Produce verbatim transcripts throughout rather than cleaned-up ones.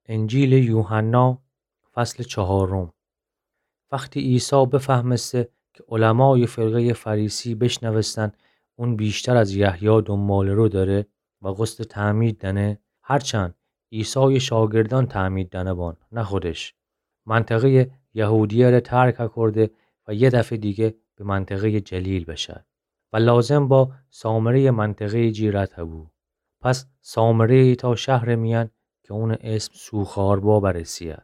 انجیلٚ یوحنا، فصلٚ چهارم. وختی عیسی بفهمسته کی علمایٚ فرقه‌یٚ فریسی بیشنوستن اون ویشتر از یحیی دونباله‌رو دأره و قصدٚ تعمید دأنه، هرچند عیسایٚ شاگردأن تعمید دأنه بان، نه خودش، منطقه‌یٚ یهودیه‌ره ترک کورده و یه دفعه دیگه به منطقه‌یٚ جلیل بشه و لازم با سامره‌یٚ منطقه‌یٚ جی رد هبو. پس سامره ایتأ شهرٚ میأن کی اونٚ اسم سوخار با برسه.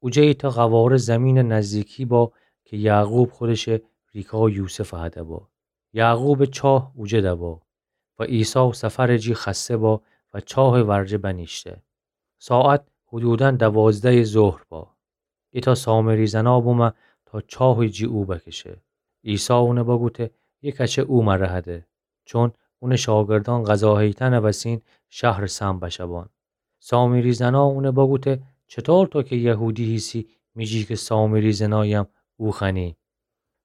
اوجه ایتأ قواره زیمینٚ نزدیکی با کی یعقوب خودشٚ ریکا یوسف هده با. یعقوبٚ چاه اوجه دبا و عیسی سفرٚ جی خسته با و چاهٚ ورجه بنیشته. ساعت حدوداً دوازدهٚ ظهر با. ایتأ سامری زنا بومه تا چاهٚ جی او بکشه. عیسی اونه بگوته، یه کچه او مره هده. چون اونٚ شاگردأن غذا هیتنٚ وسین شهرٚ سمت بشه بان. سامری زنا اونه بگوته، چطور تو کی یهودی هیسی می‌جی کی سامری زنایم او خوأنی؟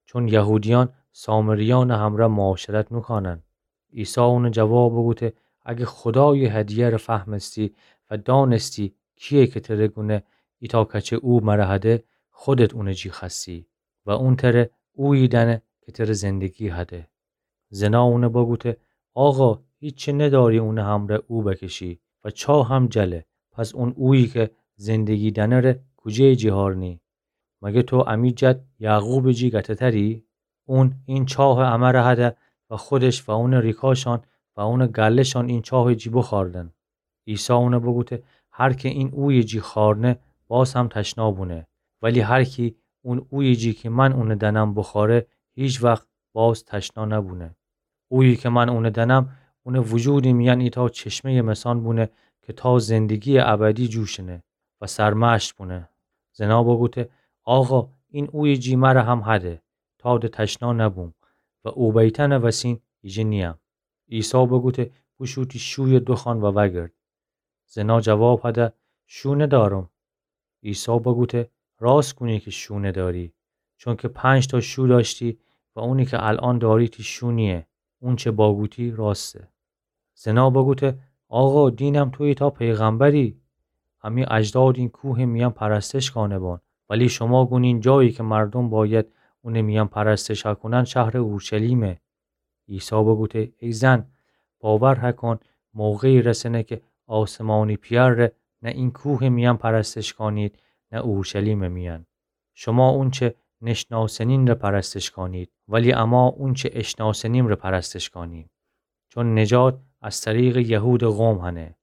چون یهودیأن سامریأنٚ همره معاشرت نوکانن. عیسی اونه جواب بوگوته، اگه خودایٚ هدیه‌ره فهمستی و دانستی کییه کی تره گونه ایتأ کچه او مره هده، خودت اونٚ جی خوأستی و اون تره اویی دأنه کی تره زندگی هده. زنا اونه بوگوته، آقا، هیچی نداری اونٚ همره او بکشی و چاه هم جله. پس اون اویی کی زندگی دأنه ره کوجه‌یٚ جی هارنی؟ مگه تو امی جد یعقوبٚ جی گته‌تری؟ اون این چاه امره هده و خودش و اونٚ ریکاشان و اونٚ گله‌شان این چاهٚ جی بخاردن. عیسی اونه بوگوته، هر کی این اویٚ جی خارنه، باز هم تشنا بونه. ولی هر کی اون اویٚ جی کی من اونه دأنم بخاره، هیچ وخت باز تشنا نبونه. اویی کی من اونه دأنم، اونٚ وجودٚ میأن ایتأ چشمه‌یٚ مسان بونه کی تا زندگییٚ ابدی جوشنه و سرمشق بونه. زنا بوگوته، آقا، این اویٚ جی مره هم هده، تا د تشنا نبوم و او بیتنٚ وسین ایجه نییم. عیسی بوگوته، بوشو تی شویه دوخوأن و وأگرد. زنا جواب هده، شو ندأرم. عیسی بوگوته، راست کونی کی شو ندأری، چونکی پنج‌تا شو دأشتی و اونی کی الأن دأری تی شو نییه. اونچه باگوتی راسته. زنا بوگوته، آقا، دینم تو ایتأ پیغمبری. امی اجداد این کوهٚ میأن پرستش کانه بان، ولی شما گونین جایی کی مردوم باید اونٚ میأن پرستش هکونن شهرٚ اورشلیمه. عیسی بوگوته، ای زن، باور هکون، موقعی رسنه کی آسمانی پئر ره نه این کوهٚ میأن پرستش کانید، نه اورشلیمٚ میأن. شما اونچه نشناسنین ره پرستش کانید، ولی اما اونچه اشناسنیم ره پرستش کانیم. چون نجات از طریقٚ یهودٚ قوم هنه.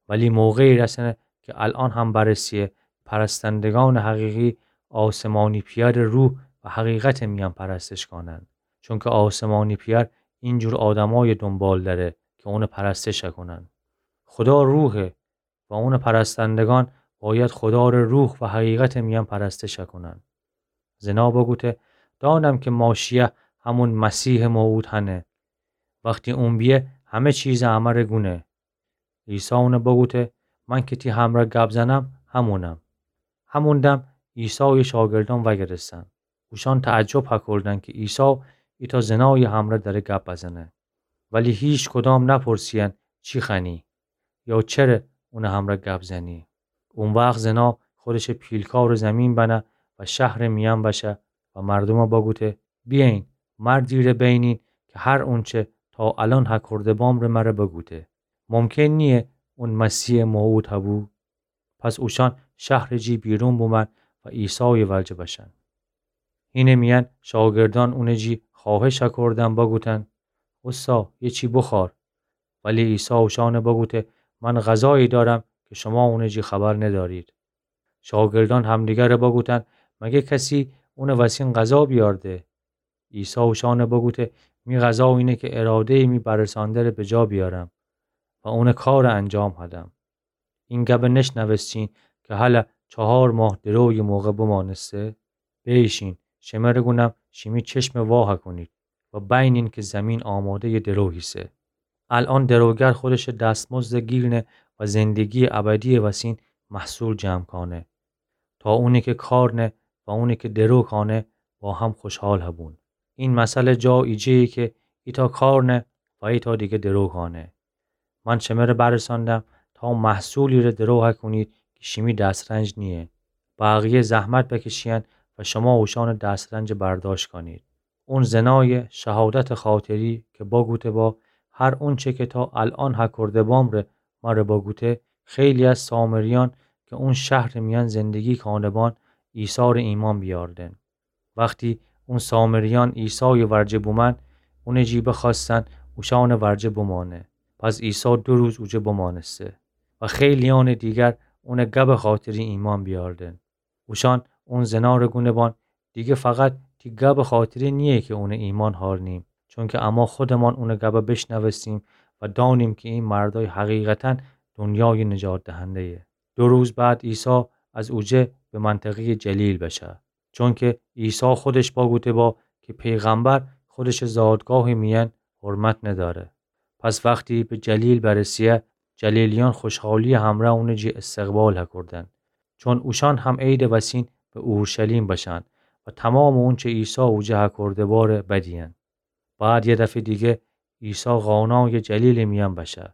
ولی موقعی رسنه کی الأن هم برسیه، پرستندگانٚ حقیقی آسمانی پئرٚ روح و حقیقتٚ میأن پرستش کانن. چونکی آسمانی پئر اینجور آدمای دونبال دأره کی اونٚ پرستش کونن. خودا روحه و اونٚ پرستندگان باید خودا ره روح و حقیقتٚ میأن پرستش کونن. زنا بوگوته، دانم کی ماشییه همون مسیحٚ موعود هنه. وختی اون بیه، همه چیز امره گونه. عیسی اونه بوگوته، من کی تی همره گب زنم، همونم. همون دم عیسایٚ شاگردأن وأگرستن. اوشأن تعجب هکردن کی عیسی ایتأ زنایٚ همره دأره گب بزنه. ولی هیکدام نپرسییدن چی خوأنی یا چره اونٚ همره گب زنی. او وخت زنا خودشٚ پیلکارٚ زیمین بنه و شهرٚ میأن بشه و مردومه بوگوته، بیأیین، مردی ره بینین کی هر اونچه تا الأن هکرده بام ره مره بوگوته. ممکن نییه اون مسیحٚ موعود هبو؟ پس اوشأن شهرٚ جی بیرون بومن و عیسایٚ ورجه بشن. هینٚ میأن شاگردأن اونٚ جی خوأهش هکردن بوگوتن، اوستا، یه چی بوخور. ولی عیسی اوشأنه بوگوته، من غذایی دأرم کی شوما اونٚ جی خبر ندأرید. شاگردأن همدیگره بوگوتن، مگه کسی اونٚ وسین غذا بیأرده؟ عیسی اوشأنه بوگوته، می غذا اینه کی اراده‌یٚ می برسأنده‌ره بجا بیأرم و اونٚ کاره انجام هدم. این گبه نشنوستین کی هلأ چهار ماه درویٚ موقع بمأنسته؟ بیشین، شمره گونم، شیمی چشمه وا هکونید و بینین کی زیمین آماده‌یٚ درو هیسه. الأن دروگر خودشٚ دستمزده گیرنه و زندگییٚ ابدییٚ وسین محصول جمع کانه، تا اونی کی کارنه و اونی کی درو کانه با هم خوشحال هبون. این مثل جا ایجه‌یه کی ایتأ کارنه و ایتأ دیگه درو کانه. من شمره برسأندم تا محصولی ره درو هکونید کی شیمی دسترنج نییه. بقیه زحمت بکشیین و شما اوشانٚ دسترنجَ برداشت کانید. اون زنایٚ شهادتٚ خاطری کی بگوته با، هر اونچه کی تا الأن هکرده بام ره مره بگوته، خیلی از سامریأن کی اون شهرٚ میأن زندگی کانه بان، عیسی ره ایمأن بیاردن. وختی اون سامریأن عیسایٚ ورجه بومأن، اونٚ جی بخوأستن اوشانٚ ورجه بمأنه. پس عیسی دو روز اوجه بمأنسته و خیلیأنٚ دیگر اونٚ گبٚ خاطری ایمأن بیاردن. اوشأن اون زنا ره گونه بان، دیگه فقط تی گبٚ خاطری نییه کی اونٚ ایمأن هارنیم، چونکی اما خودمان اونٚ گب بشنوستیم و دأنیم کی ای مردأی حقیقتاً دنیایٚ نجات دهنده‌یه. دو روز بعد عیسی از اوجه به منطقه‌یٚ جلیل بشه. چونکی عیسی خودش بگوته با کی پیغمبر خودشٚ زادگاهٚ میأن حرمت ندأره. پس وختی به جلیل برسه، جلیلیأن خوشحالیٚ همرأ اونٚ جی استقبال هکردن. چون اوشأن هم عیدٚ وسین به اورشلیم بشن و تومامٚ اونچه عیسی اوجه هکرده باره بدیین. بعد یه دفعه دیگه عیسی قانایٚ جلیلٚ میأن بشه.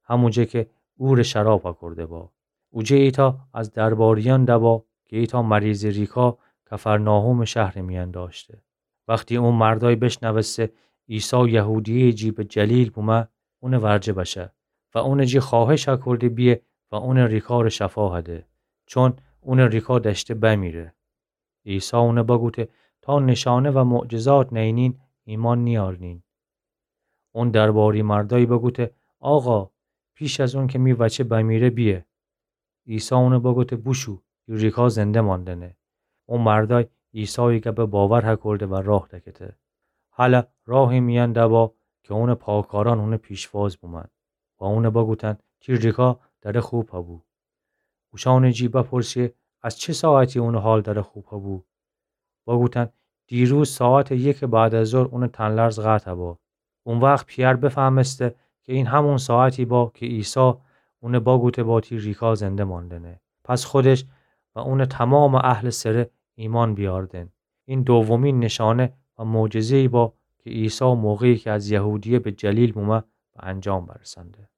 هموجه کی عورٚ شراب هکرده با. اوجه ایتأ از درباریأن دبا کی ایتأ مریضٚ ریکا کفرناحومٚ شهرٚ میأن دأشته. وختی او مردأی بشنوسته عیسی یهودیه‌یٚ جی به جلیل بومه، اونٚ ورجه بشه و اونٚ جی خوأهش هکرده بیه و اونٚ ریکا ره شفا هده، چون اونٚ ریکا دأشته بمیره. عیسی اون بگوته، تا نشانه و معجزات نینین، ایمأن نیارنین. اون درباری مردأی بگوته، آقا، پیش از اونکه می وچه بمیره بیه. عیسی اون بگوته، بوشو، تی ریکا زنده ماندنه. او مردأی عیسایٚ گب باور هکرده و راه دکته. هلأ راهٚ میأن دبا کی اونٚ پاکارأن اونٚ پیشواز بومأن و اون بگوتن، تی ریکا دره خوب هبو. اوشأنٚ جی بپرسه، از چه ساعتی اونٚ حال دره خوب هبو؟ بگوتن، دیروز ساعتٚ یکٚ بعد از ظهر اونٚ تن‌لرز قطع با. او وخت پیئر بفهمسته کی این همون ساعتی با کی عیسی اون بگوته با تی ریکا زنده ماندنه. پس خودش و اونٚ تومامٚ اهلٚ سره ایمأن بیاردن. این دومین نشانه و معجزه‌یی با کی عیسی موقعی کی از یهودیه به جلیل بومه به انجام برسأنده.